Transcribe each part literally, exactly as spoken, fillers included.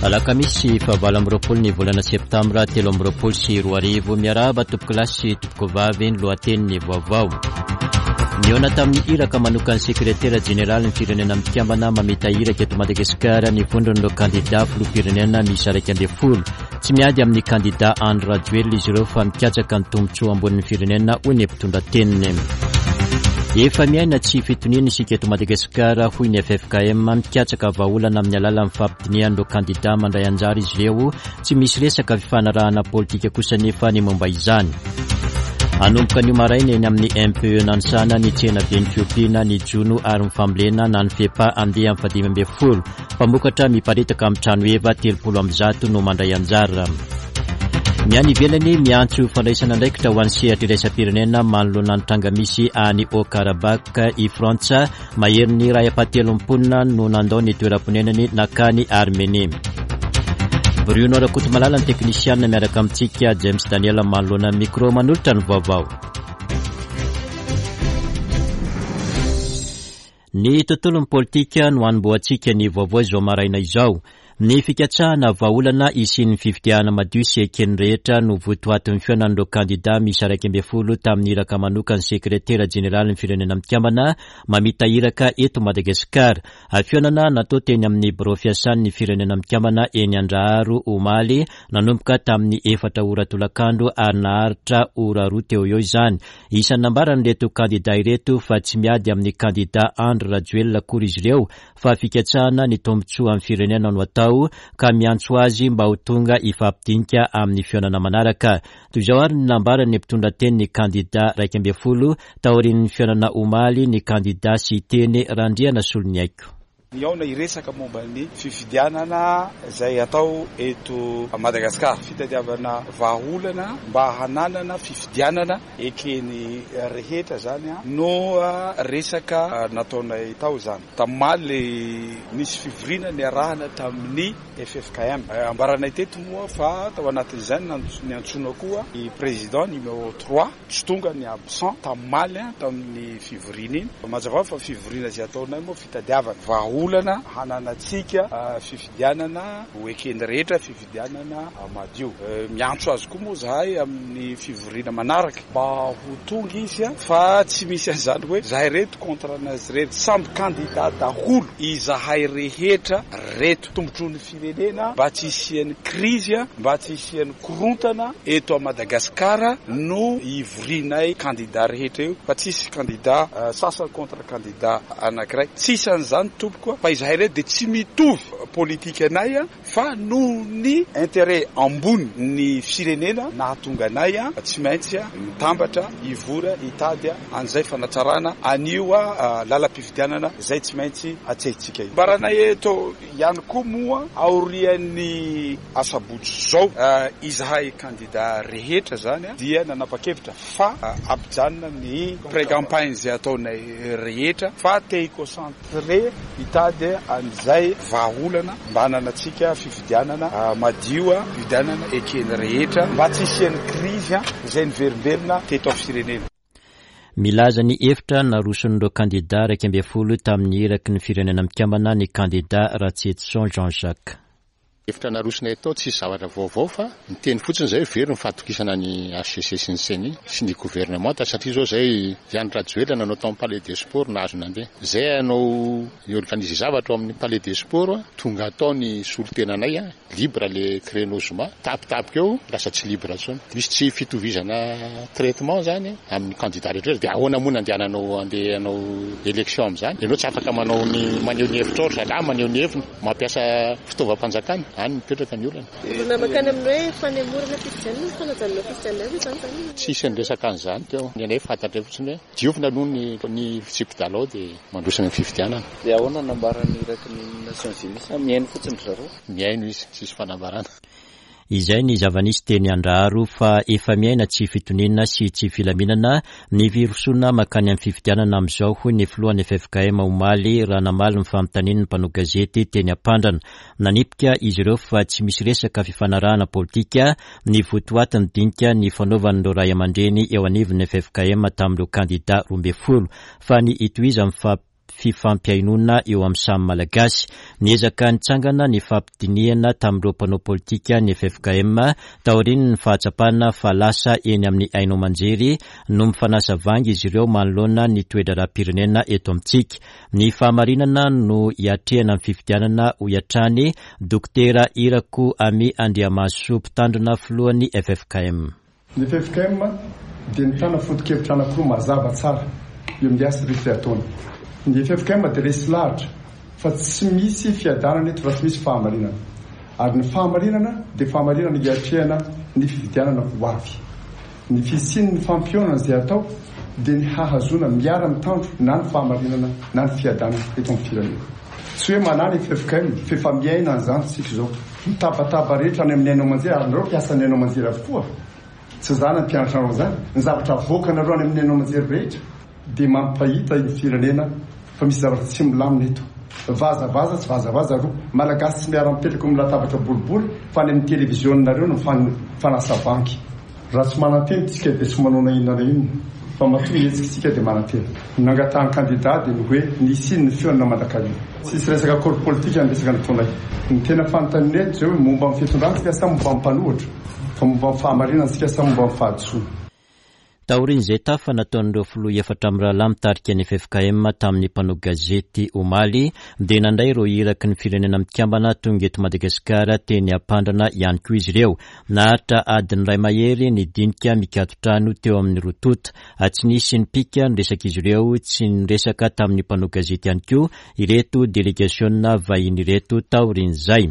Alakamisy fahavalo amby roapolo ny volana septambra telo amby roapolo sy roa arivo. Miarahaba tompokolahy sy tompokovavy, ny lohatenin'ny vaovao. Nihaona tamin'ny iraka manokan'ny sekretera jeneraly ny Firenena Mikambana mamita iraka eto Madagasikara ny vondron'ireo kandida filoham-pirenena miisa iraika ambin'ny folo. Tsy miady amin'ny kandida Andry Rajoelina izy ireo fa mikatsaka ny tombontsoa ambonin'ny firenena, hoy ny mpitondra teniny. Efa miaina tsy fitoniana isika eto Madagasikara, hoy ny F F K M. Mikatsaka vahaolana amin'ny alalan'ny fampidinihan'ireo kandida mandray anjara izy ireo. Tsy misy resaka fifanarahana politika kosa nefa ny momba izany. Hanomboka anio maraina eny amin'ny M P E Nanisana ny tsenaben'ny fiompiana, ny jono ary ny fambolena na ny FEPA andeha amin'ny fahadimy ambin'ny folo. Mpamokatra miparitaka amin'ny trano heva telopolo amby zato no mandray anjara. Ny any ivelany miantso fandraisana andraikitra ho an'ny sehatra iraisam-pirenena manoloana ny tranga misy any Haut-Karabakh i Frantsa. Maherin'ny iray ampahatelon'ny mponina no nandao ny toeram-ponenany nankany Armenie. Bruno Rakotomalala ny teknisianina miaraka amintsika, James Daniel manoloana ny micro manolotra ny vaovao. Ny tontolon'ny politika no hanombohantsika ny vaovao izao maraina izao. Ny fikatsahana vahaolana hisian'ny fifidianana madio sy eken'ny rehetra no votoatin'ny fihaonan'ireo kandida miisa iraika ambin'ny folo tamin'ny iraka manokan'ny sekretera jeneralin'ny Firenena Mikambana mamita iraka eto Madagasikara. Fihaonana natao teny amin'ny birao fiasan'ny Firenena Mikambana eny Andraharo omaly, nanomboka tamin'ny efatra ora tolakandro ary naharitra ora roa teo eo izany. Isan'ny nambaran'ireto kandida ireto fa tsy miady amin'ny kandida Andry Rajoelina akory izy ireo fa fikatsahana ny tombontsoa amin'ny firenena no atao ka miantso azy mba ho tonga hifampidinika amin'ny fihaonana manaraka. Toy izao ary ny nambaran'ny mpitondra teny ny kandida iraika ambin'ny folo taorian'ny fihaonana omaly ny kandida Siteny Randrianasoloniaiko. Nihaona hiresaka momba ny fifidianana izay atao eto Madagasikara. Fitadiavana vahaolana mba hananana fifidianana ekeny rehetra zany no resaka nataonay tao zany. Tamaly nisy fivoriana niarahana tamin'ny F F K M. Ambaranay teto moa fa tao anatin'izany niantsoana koa ny président numéro trois tsy tonga ny absent tamaly tamin'ny fivoriana iny. Mazava fa fivoriana izay ataonay moa fitadiavana vahaolana hananantsika fifidianana ho ekeny rehetra, fifidianana madio. Miantso azy koa moa zahay amin'ny fivoriana manaraka mba ho tonga izy fa tsy misy an'izany hoe zahay reto contre anazy reto, samby kandida daholo izahay rehetra reto. Tombontsoan'ny firenena mba tsy hisian'ny krizy, mba tsy hisian'ny korontana eto Madagasikara no ivorianay kandida rehetra io, fa tsisy kandida sasany contre kandida anankiray. Tsisy an'izany tompoko, fa izahay reto dia tsy mitovy politika anay fa noho ny intérêt ambony ny firenena nahatonga anay tsy maintsy mitambatra hivory hitady an'izay fanatsarana an'io lalam-pifidianana izay tsy maintsy atsehintsika io. Ambaranay eto ihany koa moa aorian'ny asabotsy izao izahay kandida rehetra zany dia nanapa-kevitra fa ampijanona ny pré-campagne izay ataonay rehetra fa te hi-concentrer hitady an'izay vahaolana mba hananantsika fifidianana madio, fifidianana ekeny rehetra mba tsy hisian'ny krizy izay niverimberina teto amin'ny firenena. Milaza ny hevitra naroson'ireo kandida iraika ambin'ny folo tamin'ny iraky ny Firenena Mikambana ny kandida Ratsietison Jean-Jacques. Hevitra narosonay tao tsisy zavatra vaovao fa niteny fotsiny izay very ny fahatokisana ny H C C sy ny C N I sy ny gouvernement satria izao izay Andry Rajoelina nanao tao amin'ny Palais des Sports nahazo nandeha. Izay hanao hi-organiser zavatra ao amin'ny Palais des Sports tonga atao ny solontenanay libre le créneau zoma tapitapika eo lasa tsy libre intsony. Misy tsy fitovizana traitement zany amin'ny candidat rehetra dia ahoana moa nandehananao andeha hanao élection amin'izany? Ianao tsy afaka manao ny maneho ny hevitra ohatra zalahy maneho ny heviny mampiasa fitaovam-panjakana any mipetraka ny olana. Olona makany amin'ny hoe fanemorana fifidianana, fanajanona fifidianana io izany zany? Tsisy ny resaka an'izany teo. Ny anay fantatra fotsiny hoe diovina aloha ny, ny fitsipi-dalao dia mandroso ny fifidianana. Dia ahoana no nambaran'ny iraky ny Nations Unies sa mihaino fotsiny ry zareo? Mihaino izy, tsisy fanambarana. Izay ny zava-nisy teny Andraharo fa efa miaina tsy fitoniana sy tsy filaminana ny firosoana mankany amin'ny fifidianana amin'izao, hoy ny filohan'ny F F K M omaly raha namaly ny fanontanian'ny mpanao gazety teny Ampandrana. Nanipika izy ireo fa tsy misy resaka fifanarahana politika ny votoatin'ny dinika ny fanaovan'ireo ray aman-dreny eo anivon'ny F F K M tamin'ireo kandida roa ambin'ny folo fa ny hitohizan'ny fa fifampihainoana eo amin'ny samy Malagasy. Niezaka nitsangana ny fampidinihana tamin'ireo mpanao politika ny F F K M taorian'ny fahatsapana fa lasa eny amin'ny haino aman-jery no mifanasa vangy izy ireo manoloana ny toe-draharaham-pirenena eto amintsika. Ny fahamarinana no hiatrehana ny fifidianana, hoy hatrany Dokotera Irako Amy Andriamahasoa, mpitandrina filohan'ny F F K M. Ny F F K M dia nitana foto-kevitra anankiroa mazava tsara eo amin'ny asa rehetra ataony. Ny F F K M dia resy lahatra fa tsy misy fiadanana eto raha tsy misy fahamarinana. Ary ny fahamarinana dia fahamarinana hiatrehana ny fifidianana ho avy. Ny fisian'ny fampihaonana izay atao dia ny hahazoana miara-mitandro na ny fahamarinana na ny fiadanana eto amin'ny firenena. Tsy hoe manana F F K M fa efa miaina an'izany tsika izao. Mitabataba rehetra any amin'ny haino aman-jery, ary nareo mpiasa ny haino aman-jery avokoa. Tsy zany ampianatra anareo izany. Ny zavatra avoakanareo any amin'ny haino aman-jery rehetra dia mampahita ny firenena fa misy zavatra tsy milamina eto. Vazavaza tsy vazavaza roa. Malagasy tsy miara-mipetraka amin'ny latabatra boribory fa any amin'ny televizionareo no fanasa banky. Raha tsy manantena tsika dia tsy manao na inona na inona, fa matoa mihetsika tsika dia manantena. Ny nangatahan'ny kandida dia ny hoe nisy ny fihaonana mandrakariva. Tsisy resaka accord politika ny resaka nataonay. Ny tena fanontaniana eto izao hoe momba ny fitondrana tsika sa momba ny mpanohitra, fa momba ny fahamarinana tsika sa momba ny fahadisoana. Taorian'izay tafa nataon'ireo filoha efatra amin'ny rahalahy mitarika ny F F K M tamin'ny mpanao gazety omaly, dia nandray ireo iraky ny firenena mikambana tonga eto Madagasikara teny Ampandrana ihany koa izy ireo. Naharitra adiny iray mahery ny dinika mikaton-trano teo amin'ny roa tonta. Tsy nisy nipika ny resaka izy ireo, tsy niresaka tamin'ny mpanao gazety ihany koa ireto delegasiona vahiny ireto taorian'izay.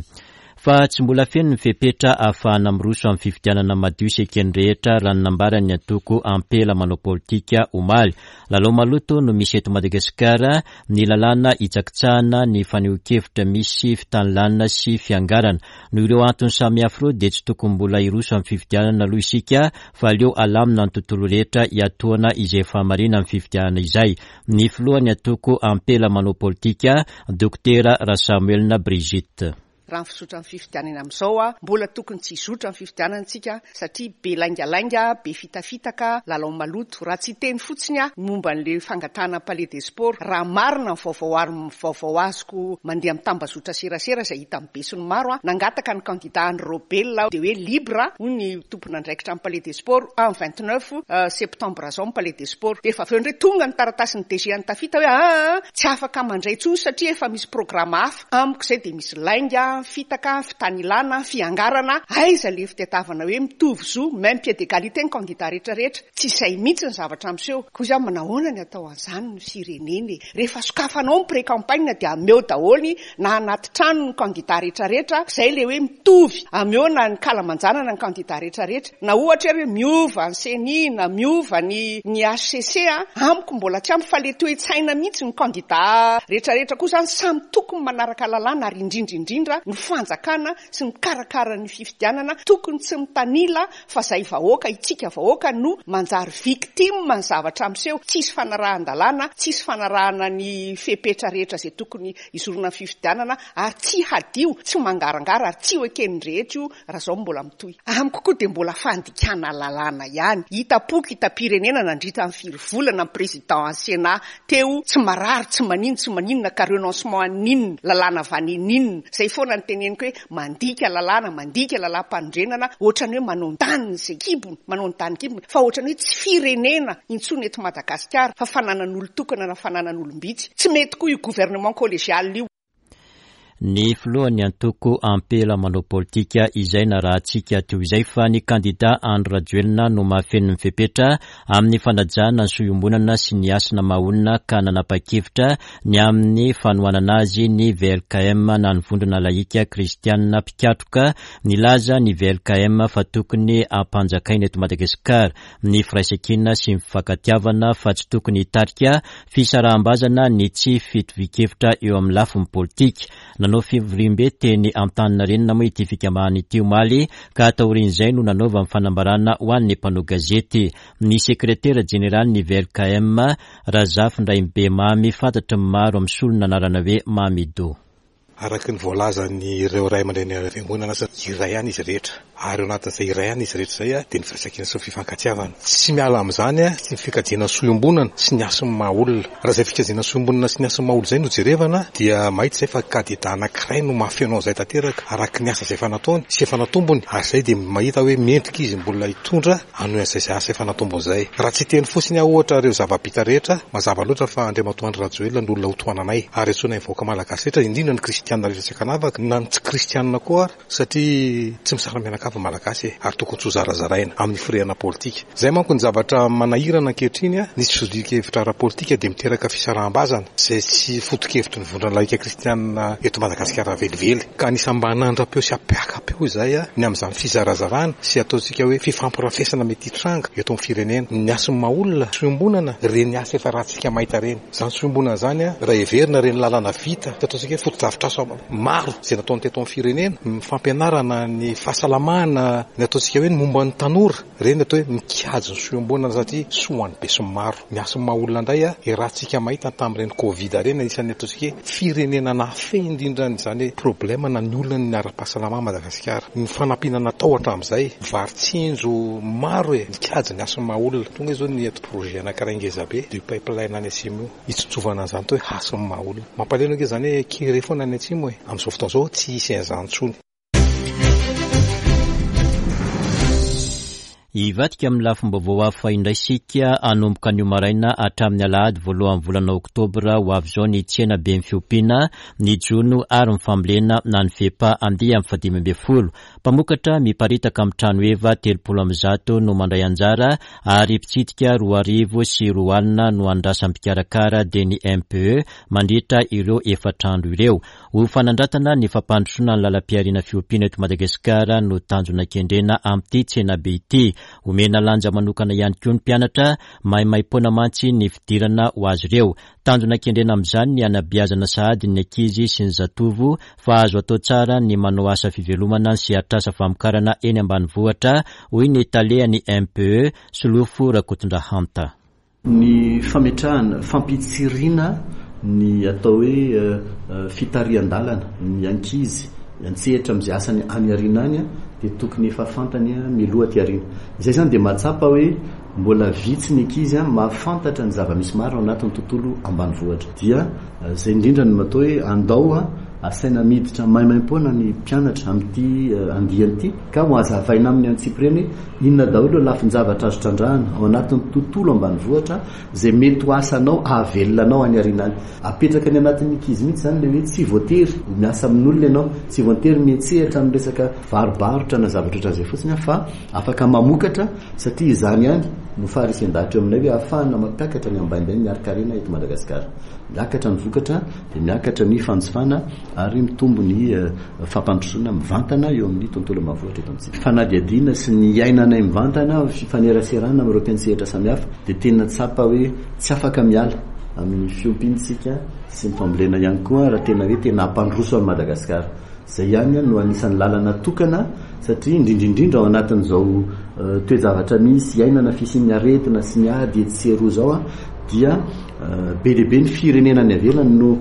Fa tsy mbola feno ny fepetra ahafahana miroso amin'ny fifidianana madio sy eken'ny rehetra raha ny nambaran'ny antoko Ampela manao politika omaly. Lalao maloto no misy eto Madagasikara, ny lalàna hitsakitsahana, ny fanehoan-kevitra misy fitanilana sy fiangarana. Noho ireo antony samihafa ireo dia tsy tokony mbola hiroso amin'ny fifidianana aloha isika fa aleo alamina ny tontolo rehetra hiatoana izay fahamarina amin'ny fifidianana izay. Ny filohan'ny antoko Ampela manao politika, Dokotera Rasamoelina Brigitte. Raha ny fizotra ny fifidianana amin'izao a, mbola tokony tsy hizotra ny fifidianana isika satria be laingalainga, be fitafitaka, lalao maloto. Raha tsy hiteny fotsiny a momba an'ilay fangatahana palais des sports, raha marina ny vaovao ary ny vaovao azoko mandeha amin'ny tambazotra serasera izay hita amin'ny besinimaro a, nangataka ny kandida Andry Raobelina dia hoe libre hoy ny tompon'andraikitra amin'ny palais des sports en vingt-neuf septembre izao ny palais des sports. Dia efa avy eo indray tonga ny taratasin'ny D G an'i Tafita hoe ah, tsy afaka mandray intsony satria efa misy programme hafa. Amiko izay dia misy lainga, fitaka, fitanilana, fiangarana. Aiza le fitadiavana hoe mitovy zo, même pied d'égalité ny kandida rehetrarehetra. Tsy izay mihitsy ny zavatra miseho. Koa izy manahoana ny atao an'izany ny firenena e? Rehefa sokafanao ny pré-campagne dia ameo daholo na anaty trano ny kandida rehetrarehetra. Izay le hoe mitovy, ameo na ny kalamanjanana ny kandida rehetrarehetra. Na ohatra hoe miova ny C E N I na miova ny, ny H C C a, amiko mbola tsy ampy fa le toe-tsaina mihitsy ny kandida rehetrarehetra koa izany samy tokony manaraka lalàna ary indrindra indrindra ny fanjakana sy mikarakara ny fifidianana tokony tsy mitanila fa zay vahoaka itsika vahoaka no manjary victime ny zavatra miseho. Tsisy fanarahan-dalàna, tsisy fanarahana ny fepetra rehetra izay tokony hizorona ny fifidianana ary tsy hadio, tsy mangarangara ary tsy ho eken'ny rehetra io raha izao mbola mitohy. Amiko koa dia mbola fandikana lalàna ihany. Hita-poko, hita-pirenena nandritra ny firy volana ny président an'ny Sénat teo, tsy marary, tsy manino, tsy maninona ka renoncement aninona, lalàna vaninina. Izay foana ny teneniko hoe mandika lalàna, mandika lalàm-panorenana, ohatrany hoe manao ny taniny izay kibony, manao ny tany kibony, fa ohatrany hoe tsy firenena intsony eto Madagasikara fa fananan'olon-tokana na fananan'olom-bitsy. Tsy mety koa io gouvernement collégial io. Ny filohan'ny antoko Ampela manao politika izay narahantsika teo izay fa ny kandida Andry Rajoelina no mahafeno ny fepetra amin'ny fanajana ny soa-iombonana sy ny hasina maha-olona ka nanapa-kevitra ny amin'ny fanohanana azy ny V L K M na ny vondrona laika kristianina mpikatroka. Nilaza ny V L K M fa tokony hampanjakaina eto Madagasikara ny firaisankina sy ny fifankatiavana fa tsy tokony hitarika fisaraham-bazana ny tsy fitovian-kevitra eo amin'ny lafiny politika. Nanao fivoriambe teny Antaninarenina moa ity fikambanana ity omaly ka taorian'izay no nanaovany fanambarana ho an'ny mpanao gazety. Ny sekretera jeneraly ny V L K M Razafindraimbe Mamy, fantatry ny maro amin'ny solona anarana hoe Mamido. Araka ny voalazan'ireo ray aman-dreny fiangonana, iray ihany izy rehetra Ary eo anatin'izay iray ihany izy rehetra izay dia ny firaisankina sy ny fifankatiavana. Tsy miala amin'izany ny fikajiana soa iombonana sy ny hasin'ny maha olona. Raha izay fikajiana soa iombonana sy ny hasin'ny maha olona izay no jerevana dia mahita izay fa kandida anankiray no mahafeno an'izay tanteraka araka ny asa izay efa nataony sy efa natombony, ary izay dia mahita hoe mendrika izy mbola hitondra hanohy an'izay asa efa natombony izay. Raha tsy hiteny fotsiny aho ohatra ireo zava-bita rehetra, mazava loatra fa Andriamatoa Andry Rajoelina no olona hotohananay, ary antsoinay ny vahoaka malagasy rehetra, indrindra ny kristianina rehetra tsy ankanavaka na ny tsy kristianina koa ary, satria tsy misara-mianakavy ny malagasy e, ary tokony tsy ho zarazaraina amin'ny firehana politika. Izay manko ny zavatra manahirana ankehitriny, ny tsy fivorian-kevitra ara-politika dia miteraka fisaraham-bazana izay tsy foto-kevitry ny vondrona laika kristianina eto Madagasikara velively. Ka anisan'ny mba hanandra-peo sy hampiaka-peo izay ny amin'izany fizarazarana sy ataontsika hoe fifampirafesana mety hitranga eto amin'ny firenena. Ny hasin'ny maha olona, soa-iombonana, ireny asa efa ratsika mahita ireny. Izany soa-iombonana izany, raha heverina ireny lalana vita, ataontsika hoe fotodrafitrasa maro izay nataony teto amin'ny firenena, ny fampianarana, ny fahasalamana, ny ataontsika hoe ny momba ny tanora, ireny atao hoe mikajy ny soa-iombonana satria soa ho an'ny besinimaro. Ny hasin'ny maha olona indray, ratsika mahita tamin'ireny Covid ireny, anisan'ny ataontsika hoe firenena nahafehy indrindra an'izany hoe problème na ny olona ny ara-pahasalamana Madagasikara. Ny fanampiana natao hatramin'izay, vary tsinjo maro e, mikajy ny hasin'ny maha olona. Tonga izao ny eto projet anankiray ngeza be, de pipeline any atsimo io, hitsinjovana an'izany atao hoe hasin'ny maha olona. Mampalahelo ange izany hoe kere foana any atsimo e, amin'izao fotoana izao tsy hisy an'izany intsony. Hivadika amin'ny lafim-baovao hafa indray isika hanomboka anio maraina hatramin'ny alahady voalohan'ny volana oktobra ho avy izao ny tsena be ny fiompiana, ny jono ary ny fambolena na ny FEPA andiany fahadimy ambin'ny folo. Mpamokatra miparitaka amin'ny trano heva telopolo amby zato no mandray anjara ary mpitsidika roa arivo sy roa alina no andrasan'ny mpikarakara dia ny M P E mandritra ireo efatra andro ireo. Ho fanandratana ny fampandrosoana ny lalam-pihariana fiompiana eto Madagasikara no tanjona kendrena amin'ity tsena be ity. Omena lanja manokana ihany koa ny mpianatra, maimaimpoana mantsy ny fidirana ho azy ireo. Tanjona kendrena amin'izany ny hanabeazana sahady ny ankizy sy ny zatovo fa azo atao tsara ny manao asa fivelomana sy atrasa famokarana eny ambanivohitra, hoy ny talehan'ny M P E Solofo Rakotondrahanta. Ny fametrahana fampitsiriana ny atao hoe fitarihan-dalana ny ankizy antsehatra amin'izay asany any aoriana any dia tokony efa fantany mialoha aty aoriana. Izay izany dia mahatsapa hoe mbola vitsy ny ankizy mahafantatra ny zava-misy maro ao anatin'ny tontolo ambanivohitra. Dia izay indrindra no atao hoe andao asaina miditra maimaimpoana ny mpianatra amin'ity andiany ity ka ho hazavaina amin'ny antsipiriany hoe inona daholo ireo lafin-javatra azo trandrahana ao anatin'ny tontolo ambanivohitra izay mety ho asanao ahavelona anao any aoriana any. Apetraka any anatin'ny ankizy mihitsy izany ilay hoe tsy voatery ho miasa amin'olona ianao, tsy voatery miantsehatra amin'ny resaka varobarotra na zavatra ohatran'izay fotsiny fa afaka mamokatra satria izany ihany no faharisian-dahatra eo aminay hoe ahafahana mampiakatra ny ambaindain'ny harin-karena eto Madagasikara. Miakatra ny vokatra dia miakatra ny fanjifana ary mitombo ny fampandrosoana mivantana eo amin'ny tontolo ambanivohitra eto amintsika. Fanadihadiana sy ny iainanay mivantana, fifaneraserana amin'ireo mpiantsehatra samihafa dia tena tsapa hoe tsy afaka miala amin'ny fiompiantsika sy ny fambolena ihany koa raha tena hoe tena hampandroso an'i Madagasikara. Izay ihany no anisan'ny lalana tokana satria indrindra indrindra ao anatin'izao toe-javatra misy iainana fisian'ny aretina sy ny ady etsy sy eroa izao dia be dia be ny firenena any ivelany no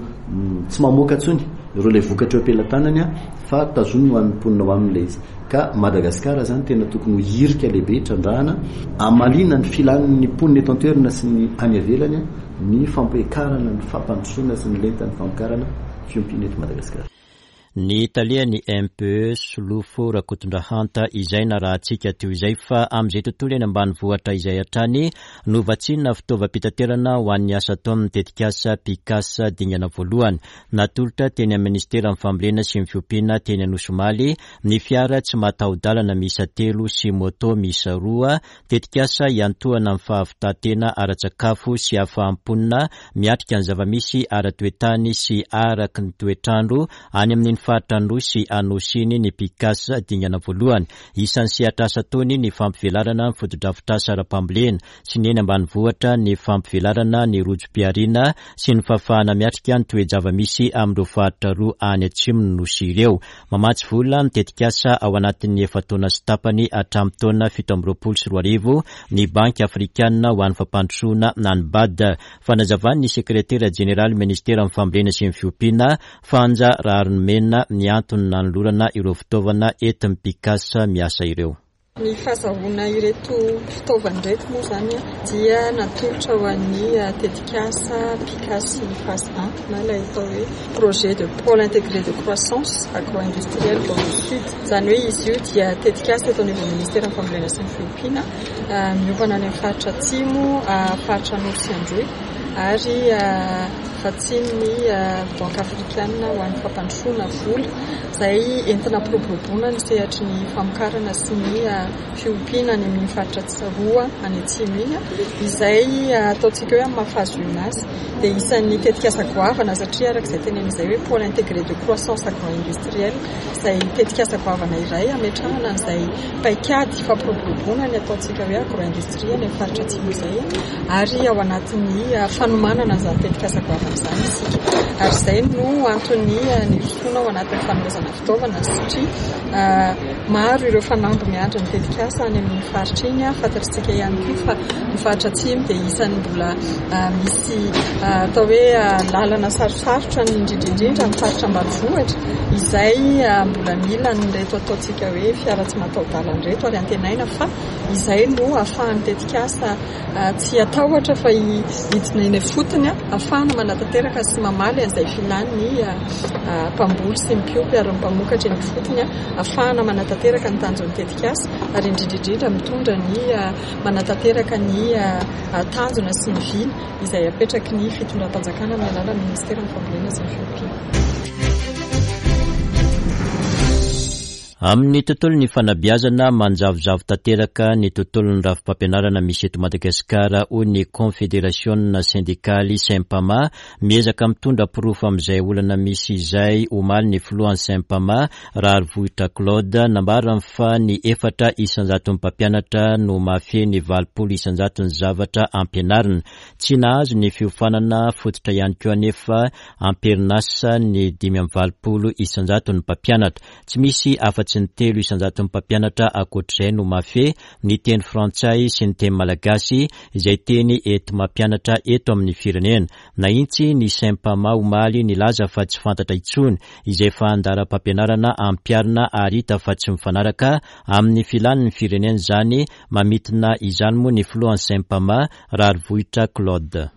tsy mamoaka intsony ireo ilay vokatra eo am-pelatanany fa tazominy ho an'ny mponina ao aminy ilay izy. Ka Madagasikara izany tena tokony ho hirika lehibe trandrahana hamaliana ny filan'ny mponina eto an-toerana sy ny any ivelany ny fampiakarana ny fampandrosoana sy ny lentan'ny famokarana fiompiana eto Madagasikara. Ny talehan'ny M P E Solofo Rakotondrahanta izay narahantsika teo izay fa amin'izay tontolo eny ambanivohitra izay hatrany no vatsiana fitaovam-pitaterana ho an'ny asa ataon'ny tetikasa Pikasa dingana voalohany. Natolotra teny amin'ny ministeran'ny fambolena sy ny fiompiana teny Anosy omaly ny fiara tsy mataho-dalana miisa telo sy moto miisa roa, tetikasa hiantohana amin'ny fahavitantena ara-tsakafo sy ahafahamponina miatrika ny zava-misy ara-toetany sy araky ny toetrandro any amin'ny faritra Androy sy Anosy iny ny Pikasa dingana voalohany. Isan'ny sehatrasa ataony ny fampivelarana ny fotodrafitrasa ara-pambolena sy ny eny ambanivohitra, ny fampivelarana ny rojom-pihariana sy ny fahafahana miatrika ny toe-java-misy amin'ireo faritra roa any atsimon'ny Nosy ireo. Mamatsy vola ny tetikasa ao anatin'ny efa-taona sy tapany hatramin'ny taona fito amby roapolo sy roa arivo ny Banky Afrikanina ho an'ny fampandrosoana na ny B A D. Fanazavan'ny sekretera jeneraly ministeran'ny fambolena sy ny fiompiana Fanja Raharimena Andrianantenaina ny antony nanolorana ireo fitaovana entin'ny PICAS miasa ireo. Ny fahazahoana ireto fitaovana ireto moa izany dia natolotra ho an'ny tetikasa PICAS phase un na ilay atao hoe projet de pôle intégré de croissance agro-industriel dans le sud. Izany hoe izy io dia tetikasa eto anivon'ny ministeran'ny fambolena sy ny fiompiana, miompana any amin'ny faritra atsimo, faritra Anosy sy Androy ary vatsian'ny Banque africaine ho an'ny fampandrosoana vola izay entina ampiroboroboana ny sehatry ny famokarana sy ny fiompiana any amin'ny faritra roa any atsimo iny, izay ataontsika hoe amin'ny maha phase un azy dia isan'ny tetikasa goavana satria araka izay tenenina izay hoe pôle intégré de croissance agro-industriel izay tetikasa goavana iray ametrahana an'izay paikady fampiroboroboana ny ataontsika hoe agro-industrie any amin'ny faritra atsimo izay, ary ao anatin'ny fanomanana an'izany tetikasa goavana izany isika. Ary izay no antony nirosoana ao anatin'ny fanomezana fitaovana satria maro ireo fanamby miandry ny tetikasa any amin'ny faritra iny. Fantatritsika ihany koa fa ny faritra atsimo dia isan'ny mbola misy atao hoe lalana sarosarotra indrindra indrindra amin'ny faritra ambanivohitra izay mbola mila an'ireto ataontsika hoe fiara tsy mataho-dalana ireto, ary antenaina fa izay no ahafahan'ny tetikasa tsy atahotra fa hidina eny ifotony ahafahana manatanteraka sy mamaly an'izay filan'ny mpamboly sy ny mpiompy ary ny mpamokatra eny ifotony, ahafahana manatanteraka ny tanjon'ny tetikasa ary indrindra indrindra mitondra ny manatanteraka ny tanjona sy ny vina izay apetraky ny fitondram-panjakana amin'ny alalan'ny ministeran'ny fambolena sy ny fiompiana. Amin'ny tontolon'ny fanabeazana, manjavozavo tanteraka ny tontolon'ny rafi-pampianarana misy eto Madagasikara, hoy ny Konfederasiona sendikaly Sempama. Miezaka mitondra porofo amin'izay olana misy izay omaly ny filohan'ny Sempama, Raharivohitra Claude. Nambarany fa ny efatra isanjaton'ny mpampianatra no mahafehy ny valopolo isanjaton'ny zavatra ampianarina. Tsy nahazo ny fiofanana fototra ihany koa anefa amperinasa ny dimy amby valopolo isanjaton'ny mpampianatra. Tsy misy afa-tsy ny telo isanjaton'ny mpampianatra ankoatr'izay no mahafehy ny teny frantsay sy ny teny malagasy izay teny enti-mampianatra eto amin'ny firenena. Nahitsy ny Sempama omaly nilaza fa tsy fantatra intsony izay fandaharam-pampianarana ampiharina ary hita fa tsy mifanaraka amin'ny filan'ny firenena izany. Mamintina izany moa ny filohan'ny Sempama, Raharivohitra Claude.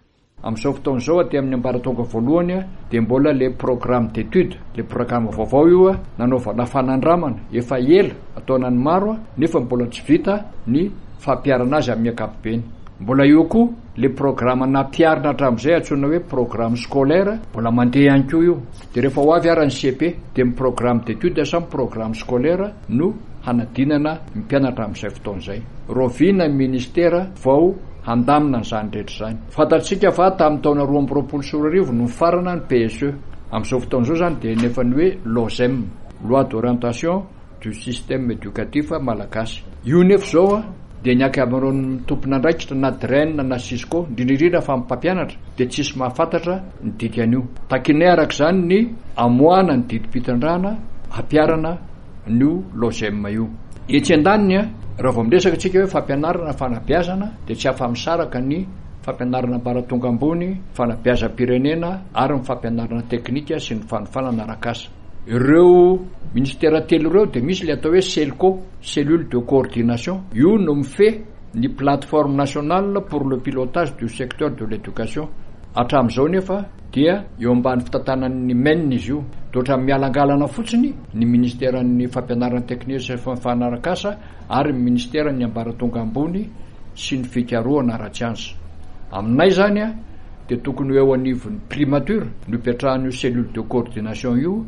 Amin'izao fotoana izao aty amin'ny ambaratonga voalohany dia mbola le programme d'étude, le programme vaovao io nanaovana fanandramana efa ela ataonany maro nefa mbola tsy vita ny fampiharana azy amin'ny ankapobeny. Mbola eo koa le programme nampiharina hatramin'izay antsoina hoe programme scolaire, mbola mandeha ihany koa io. Dia rehefa ho avy ara ny C P dia ny programme d'étude samy programme scolaire no hanadinana ny mpianatra amin'izay fotoana izay. Rahoviana ny ministera vao handamina an'izany rehetra izany? Fantatsika fa tamin'ny taona roa amby roapolo sy roa arivo no nifarana ny P S E. Amin'izao fotoana izao izany dia nefa ny hoe LOSEM, loi d'orientation du système éducatif malagasy. Io nefa izao dia ny ankamaroan'ny tompon'andraikitra na D R E N na Cisco, indrindra indrindra fa ny mpampianatra dia tsisy mahafantatra ny dikan'io. Takinay araka izany ny amoahana ny didim-pitondrana hampiharana ny LOSEM io. Etsy andaniny, raha vao miresaka isika hoe fampianarana fanabeazana dia tsy afa-misaraka ny fampianarana ambaratonga ambony, fanabeazam-pirenena ary ny fampianarana teknika sy ny fanofanana arak'asa. Ireo ministera telo ireo dia misy ilay atao hoe CELCO, cellule de coordination. Io no mifehy ny plateforme nationale pour le pilotage du secteur de l'éducation. Hatramin'izao nefa dia eo ambany fitantanan'ny M E N izy io. Dia ohatran'ny mialangalana fotsiny ny ministeran'ny fampianarana teknika sy fanofanana arak'asa ary ny ministeran'ny ambaratonga ambony sy ny fikarohana ara-tsiansa. Aminay izany a, dia tokony ho eo anivon'ny primature no ipetrahan'io cellule de coordination io.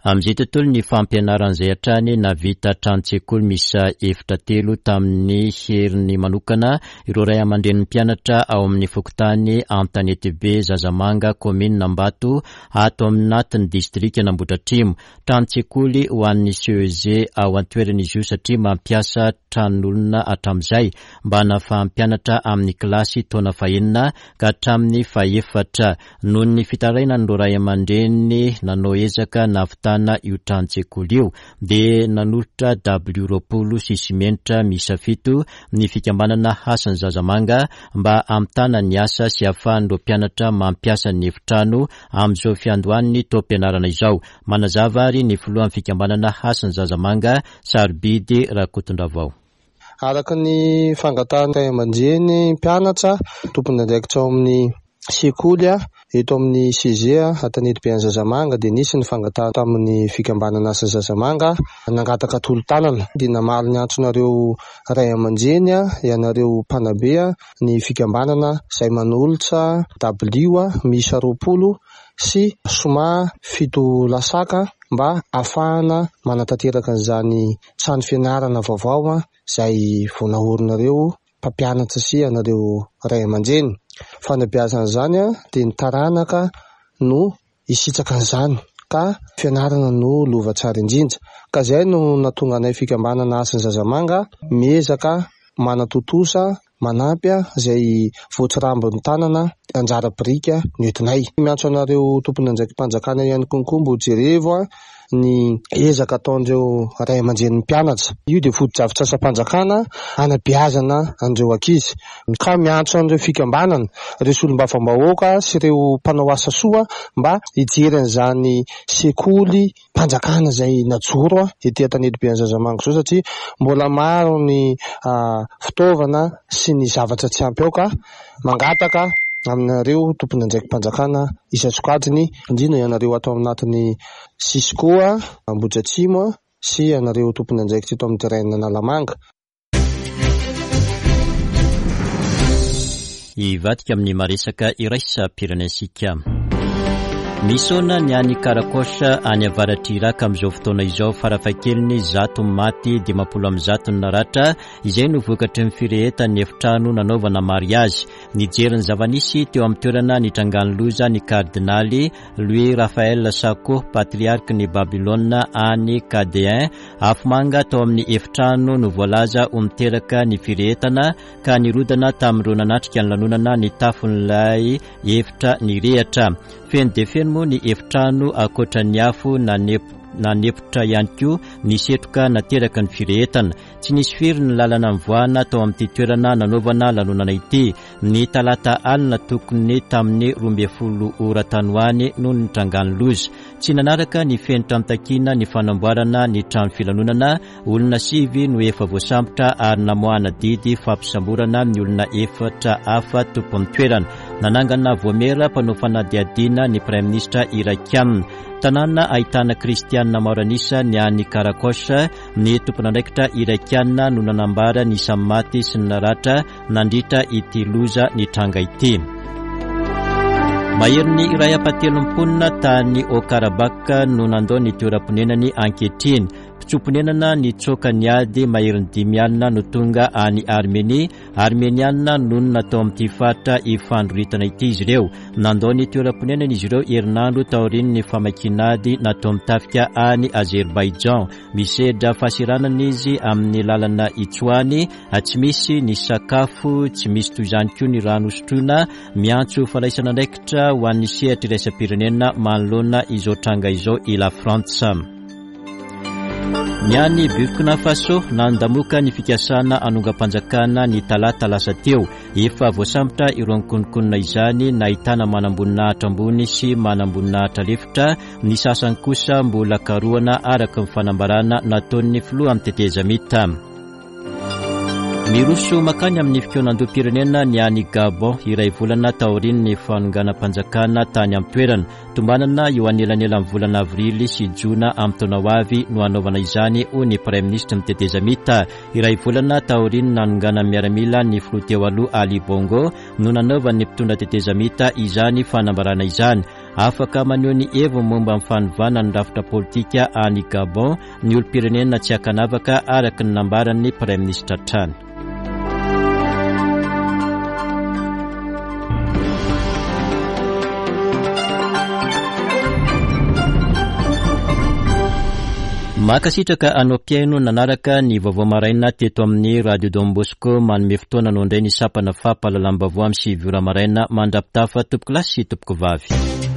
Amin'izay tontolo ny fampianarana izay hatrany, nahavita tranon-tsekoly miisa efitra telo tamin'ny heriny manokana ireo ray aman-drenin'ny mpianatra ao amin'ny fokontany Antanetibe Zazamanga, kaominina Ambato, ato anatin'ny distrikan'Ambohidratrimo. Tranon-tsekoly ho an'ny C E G ao an-toerana izy io satria mampiasa tranon'olona hatramin'izay mba hanafahan'ny mpianatra amin'ny kilasy taona fahenina ka hatramin'ny fahefatra. Noho ny fitarainan'ireo ray aman-dreny nanao ezaka nahavitana hamitana io tranon-tsekoly io. Dia nanolotra dabilio roapolo sy simenitra miisa fito ny fikambanana Hasin'ny Zazamanga mba hamitana ny asa sy ahafahan'ireo mpianatra mampiasa ny efitrano amin'izao fiandohan'ny taom-pianarana izao. Manazava ary ny filohan'ny fikambanana Hasin'ny Zazamanga, Sarobidy Rakotondravao. Araka ny fangatahan'ny ray aman-dreny mpianatra tompon'andraikitra ao amin'ny sekoly eto amin'ny C G Antanetibe an'i Zazamanga dia nisy ny fangatahana tamin'ny fikambanana Hasin'ny Zazamanga nangataka tolo-tanana dia namaly ny antsonareo ray aman-dreny ianareo mpanabe ny fikambanana izay manolotra dabilio miisa roapolo sy soma fito lasaka mba ahafahana manatanteraka an'izany trano fianarana vaovao izay vao naorinareo mpampianatra sy ianareo ray aman-dreny. Fanabeazana izany dia ny taranaka no hisitraka an'izany ka fianarana no lova tsara indrindra. Ka izay no nahatonga anay fikambanana Hasin'ny Zazamanga miezaka manatontosa manampy izay voatsirambin'ny tanana anjara biriky no entinay. Miantso anareo tompon'andraiki-panjakana ihany koa mba ho jerevo ny ezaka ataon'ireo ray aman-drenin'ny mpianatra. Io dia fotodrafitrasam-panjakana hanabeazana an'ireo ankizy. Ka miantso an'ireo fikambanana, ireo solombavambahoaka sy ireo mpanao asa soa mba hijery an'izany sekoly mpanjakana izay najoro ety Antanetibe an'i Zazamanga izao satria mbola maro ny fitaovana sy ny zavatra tsy ampy ao ka mangataka aminareo tompon'andraiki-panjakana isan-tsokajiny, indrindra ianareo ato anatin'ny Cisco Ambohidratrimo sy ianareo tompon'andraikitra eto amin'ny terrain Analamanga. Hivadika amin'ny maresaka iraisam-pirenentsika. Misaona ny any Karakosh any avaratr'i Iraka amin'izao fotoana izao, farafahakeliny zato maty, dimampolo amby zato ny naratra, izay no vokatry ny firehetan'ny efitrano nanaovana mariazy. Nijery ny zava-nisy teo amin'ny toerana nitrangan'ny loza ny kardinaly Louis Raphaël Sako, patriarque ny Babylone any Kadéen. Afomanga tao amin'ny efitrano no voalaza ho miteraka ny firehetana ka nirodana tamin'ireo nanatrika ny lanonana ny tafon'ilay efitra nirehitra. Feno dia feno moa ny efitrano ankoatra ny afo nanepotra ihany koa ny setroka nateraka ny firehetana. Tsy nisy firy ny lalana mivoahana tao amin'ity toerana nanaovana lanonana ity. Ny talata alina tokony tamin'ny roa ambin'ny folo ora tany ho any no nitrangan'ny loza. Tsy nanaraka ny fenitra nitakiana ny fanamboarana ny trano filanonana. Olona sivy no efa voasambotra ary namoahana didy fampisamborana ny olona efatra hafa tompon'ny toerana. Nanangana voamera mpanao fanadihadiana ny praiminisitra irakianina. Tanàna ahitana kristianina maro an'isa ny any Karakosh. Ny tompon'andraikitra irakianina no nanambara ny isan'ny maty sy ny naratra nandritra ity loza nitranga ity. Maherin'ny iray ampahatelon'ny mponina tany Haut-Karabakh no nandao ny toeram-ponenany ankehitriny. Mpitsoa-ponenana nitsoaka ny ady maherin'ny dimy alina no tonga any Armenia. Armeniana nonina tao amin'ity faritra ifandroritana ity izy ireo. Nandao ny toeram-ponenana izy ireo herinandro taorian'ny famakian'ady nataon'ny tafika any Azerbaijan. Misedra fahasiranana izy amin'ny lalana itsoany, tsy misy ny sakafo, tsy misy toy izany koa ny rano sotroina. Miantso fandraisana andraikitra ho an'ny sehatra iraisam-pirenena manoloana izao tranga izao i La Frantsa. Ny any Burkina Faso, nandamoka ny fikasana hanongam-panjakana ny talata lasa teo. Efa voasambotra ireo nikononkonona izany, nahitana manamboninahitra ambony sy manamboninahitra lefitra. Ny sasany kosa mbola karohana araka ny fanambarana nataon'ny filoha amin'ny tetezamita. Miroso makany amin'ny fikaonandoham-pirenena ny any Gabon, iray volana taorian'ny fanonganam-panjakana tany amin'ny toerana. Tombanana eo anelanelan'ny volana avrily sy jona amin'ny taona ho avy no hanaovana izany, hoy ny praiminisitry ny tetezamita. Iray volana taorian'ny nanonganan'ny miaramila ny filoha teo aloha Ali Bongo no nanaovan'ny mpitondra tetezamita izany fanambarana izany. Afaka maneho ny heviny momba ny fanovana ny rafitra politika any Gabon ny olom-pirenena tsy ankanavaka araka ny nambaran'ny praiminisitra hatrany. Mankasitraka anao mpihaino nanaraka ny vaovao maraina teto amin'ny Radio Don Bosco. Manome fotoana anao indray ny sampana fampahalalam-baovao amin'ny sivy ora maraina. Mandra-pitafa tompoko lahy sy tompoko vavy.